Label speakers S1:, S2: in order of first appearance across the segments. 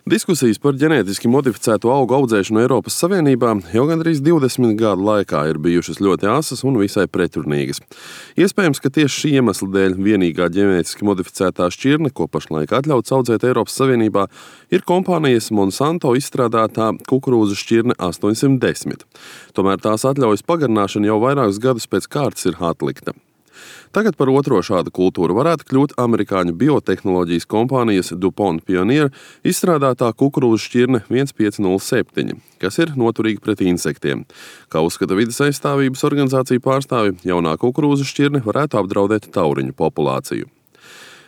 S1: Diskusijas par ģenētiski modificēto augu audzēšanu Eiropas Savienībā jau gandrīz 20 gadu laikā ir bijušas ļoti asas un visai pretrunīgas. Iespējams, ka tieši šī iemesla dēļ vienīgā ģenētiski modificētā šķirne, ko pašlaik atļauts audzēt Eiropas Savienībā, ir kompānijas Monsanto izstrādātā kukurūzu šķirne 810. Tomēr tās atļaujas pagarināšana jau vairākus gadus pēc kārtas ir atlikta. Tagad par otro šādu kultūru varētu kļūt amerikāņu biotehnoloģijas kompānijas DuPont Pioneer izstrādātā kukurūzu šķirne 1507, kas ir noturīga pret insektiem. Kā uzskata vides aizstāvības organizāciju pārstāvi, jaunā kukurūzu šķirne varētu apdraudēt tauriņu populāciju.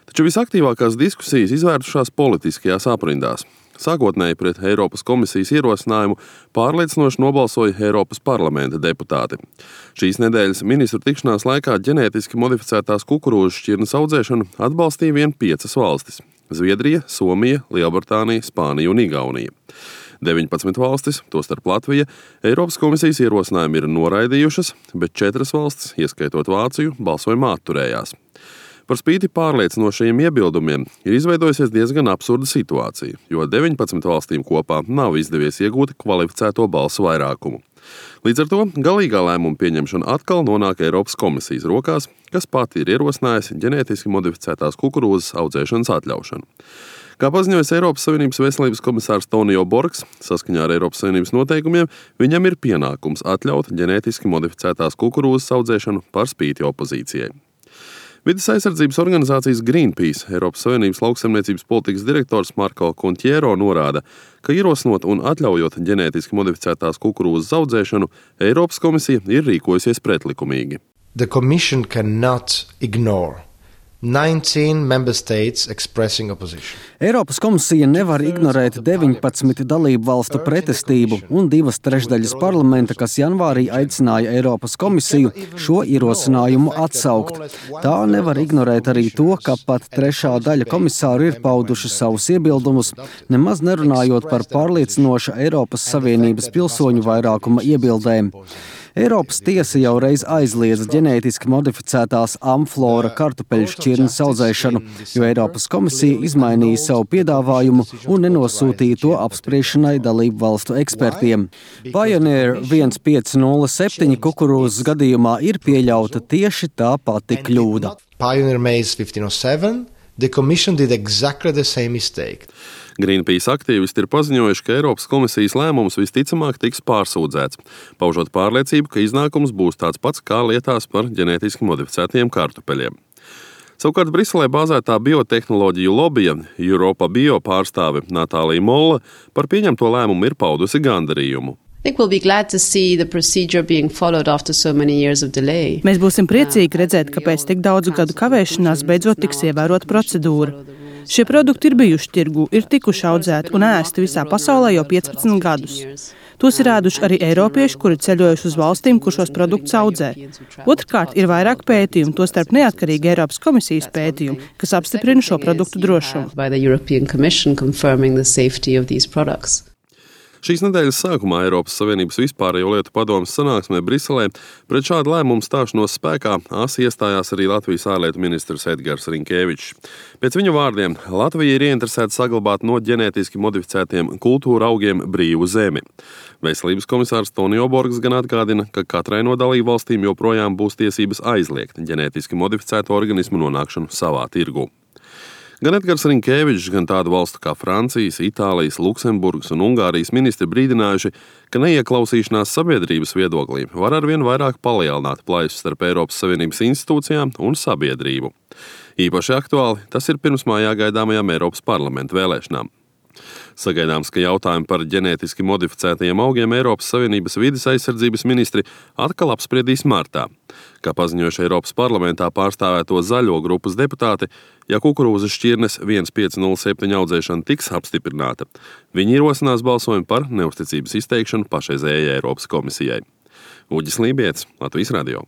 S1: Taču visaktīvākās diskusijas izvērtušās politiskajās aprindās. Sākotnēji pret Eiropas komisijas ierosinājumu pārliecinoši nobalsoja Eiropas parlamenta deputāti. Šīs nedēļas ministru tikšanās laikā ģenētiski modificētās kukurūzu šķirnes audzēšanu atbalstīja vien 5 valstis – Zviedrija, Somija, Lielbritānija, Spānija un Igaunija. 19 valstis, tostarp Latvija, Eiropas komisijas ierosinājumu ir noraidījušas, bet 4 valstis, ieskaitot Vāciju, balsojumā atturējās. Par spīti pārliecinošajiem iebildumiem ir izveidojusies diezgan absurda situācija, jo 19 valstīm kopā nav izdevies iegūt kvalificēto balsu vairākumu. Līdz ar to galīgā lēmuma pieņemšana atkal nonāk Eiropas komisijas rokās, kas pati ir ierosinājusi ģenētiski modificētās kukurūzas audzēšanas atļaušanu. Kā paziņojas Eiropas Savienības veselības komisārs Tonio Borgs, saskaņā ar Eiropas Savienības noteikumiem, viņam ir pienākums atļaut ģenētiski modificētās kukurūzas audzēšanu par spīti opozīcijai. Vides aizsardzības organizācijas Greenpeace Eiropas Savienības lauksaimniecības politikas direktors Marko Contiero norāda, ka ierosinot un atļaujot ģenētiski modificētās kukurūzas audzēšanu, Eiropas komisija ir rīkojusies pretlikumīgi.
S2: The Commission cannot ignore 19 member states expressing opposition.
S3: Eiropas komisija nevar ignorēt 19 dalību valstu pretestību un 2/3 parlamenta, kas janvārī aicināja Eiropas komisiju šo ierosinājumu atsaukt. Tā nevar ignorēt arī to, ka pat 3. daļa komisāru ir pauduši savus iebildumus, nemaz nerunājot par pārliecinoša Eiropas Savienības pilsoņu vairākuma iebildēm. Eiropas tiesa jau reiz aizliedza ģenētiski modificētās amflora kartupeļu šķirnes audzēšanu, jo Eiropas komisija izmainīja savu piedāvājumu un nenosūtīja to apspriešanai dalību valstu ekspertiem. Pioneer 1507 kukurūzas gadījumā ir pieļauta tieši tā pati kļūda.
S2: Pioneer Maize 1507, the Commission did exactly the same mistake.
S1: Greenpeace aktīvisti ir paziņojuši, ka Eiropas komisijas lēmums visticamāk tiks pārsūdzēts, paužot pārliecību, ka iznākums būs tāds pats kā lietās par ģenētiski modificētiem kartupeļiem. Savukārt Briselē bāzētā biotehnoloģiju lobija Europa Bio pārstāve Natālija Molla par pieņemto lēmumu ir paudusi gandarījumu.
S4: Mēs būsim priecīgi redzēt, ka pēc tik daudzu gadu kavēšanās beidzot tiks ievērota procedūra. Šie produkti ir bijuši tirgū, ir tikuši audzēti un ēsti visā pasaulē jau 15 gadus. Tos ir ēduši arī eiropieši, kuri ceļojuši uz valstīm, kur šos produktus audzē. Otrkārt, ir vairāk pētījumu, tostarp neatkarīgi Eiropas komisijas pētījumu, kas apstiprina šo produktu drošumu.
S1: Šīs nedēļas sākumā Eiropas Savienības vispārējo lietu padomes sanāksmē Briselē pret šādu lēmumu stāšanos spēkā asi iestājās arī Latvijas ārlietu ministrs Edgars Rinkēvičs. Pēc viņa vārdiem Latvija ir ieinteresēta saglabāt no ģenētiski modificētiem kultūra augiem brīvu zemi. Veselības komisārs Tonio Borgs gan atgādina, ka katrai no dalību valstīm joprojām būs tiesības aizliegt ģenētiski modificēto organismu nonākšanu savā tirgū. Gan Edgars Rinkēvičs, gan tādu valstu kā Francijas, Itālijas, Luksemburgas un Ungārijas ministri brīdinājuši, ka neieklausīšanās sabiedrības viedoklī var arvien vairāk palielināt plaisu starp Eiropas Savienības institūcijām un sabiedrību. Īpaši aktuāli tas ir pirmsmājā gaidāmajām Eiropas parlamenta vēlēšanām. Sagaidāms, ka jautājumi par ģenētiski modificētajiem augiem Eiropas Savienības vides aizsardzības ministri atkal apspriedīs martā. Kā paziņojuši Eiropas parlamentā pārstāvēto zaļo grupas deputāti, ja kukurūzas šķirnes 1507 audzēšana tiks apstiprināta, viņi ierosinās balsojumu par neusticības izteikšanu pašreizējai Eiropas komisijai. Uģis Lībietis, Latvijas radio.